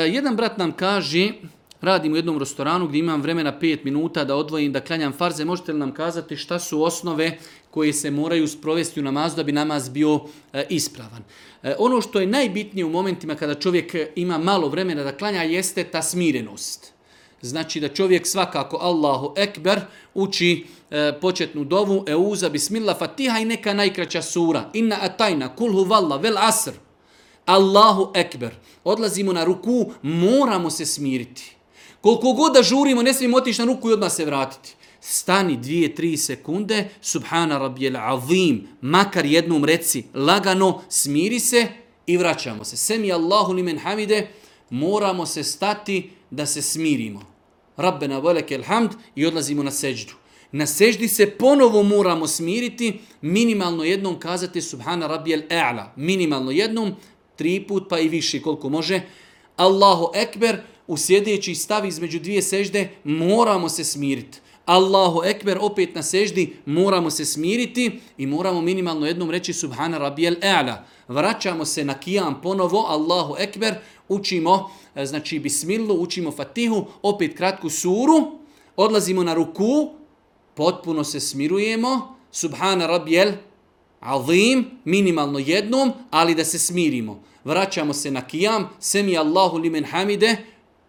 Jedan brat nam kaže, radim u jednom restoranu gdje imam vremena 5 minuta da odvojim, da klanjam farze. Možete li nam kazati šta su osnove koje se moraju sprovesti u namazu da bi namaz bio ispravan? Ono što je najbitnije u momentima kada čovjek ima malo vremena da klanja jeste ta smirenost. Znači da čovjek svakako Allahu Ekber uči početnu dovu, Euza, Bismillah, Fatiha i neka najkraća sura. Inna atajna, kul huvalla, vel asr. Allahu Ekber. Odlazimo na ruku, moramo se smiriti. Koliko god da žurimo, ne smijemo otići na ruku i odmah se vratiti. Stani 2-3 sekunde, subhana rabbijel azim, makar jednom reci, lagano, smiri se i vraćamo se. Semi Allahu limen hamide, moramo se stati da se smirimo. Rabbena velekel hamd i odlazimo na seđdu. Na seždi se ponovo moramo smiriti, minimalno jednom kazati subhana rabbijel a'la. Minimalno jednom, 3 put pa i više koliko može. Allahu Ekber, u sjedeći stav između 2 sežde moramo se smiriti. Allahu Ekber, opet na seždi moramo se smiriti i moramo minimalno jednom reći subhana rabbijel a'la. Vraćamo se na kijam ponovo, Allahu Ekber, učimo, znači bismillu, učimo Fatihu, opet kratku suru, odlazimo na ruku, potpuno se smirujemo, subhana rabbijel azim, minimalno jednom, ali da se smirimo. Vraćamo se na kijam, semi Allahu limen hamide,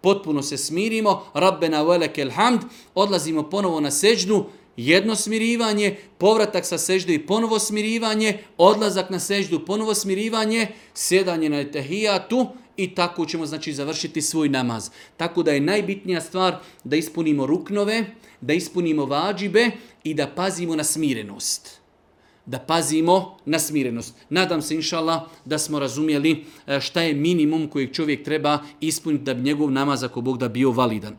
potpuno se smirimo, Rabbena velekel hamd, odlazimo ponovo na seždu, jedno smirivanje, povratak sa sežde i ponovo smirivanje, odlazak na seždu, ponovo smirivanje, sjedanje na etehijatu i tako ćemo znači završiti svoj namaz. Tako da je najbitnija stvar da ispunimo ruknove, da ispunimo vađibe i da pazimo na smirenost. Da pazimo na smirenost. Nadam se, inšallah, da smo razumjeli šta je minimum kojeg čovjek treba ispuniti da bi njegov namaz, ako Bog da, bio validan.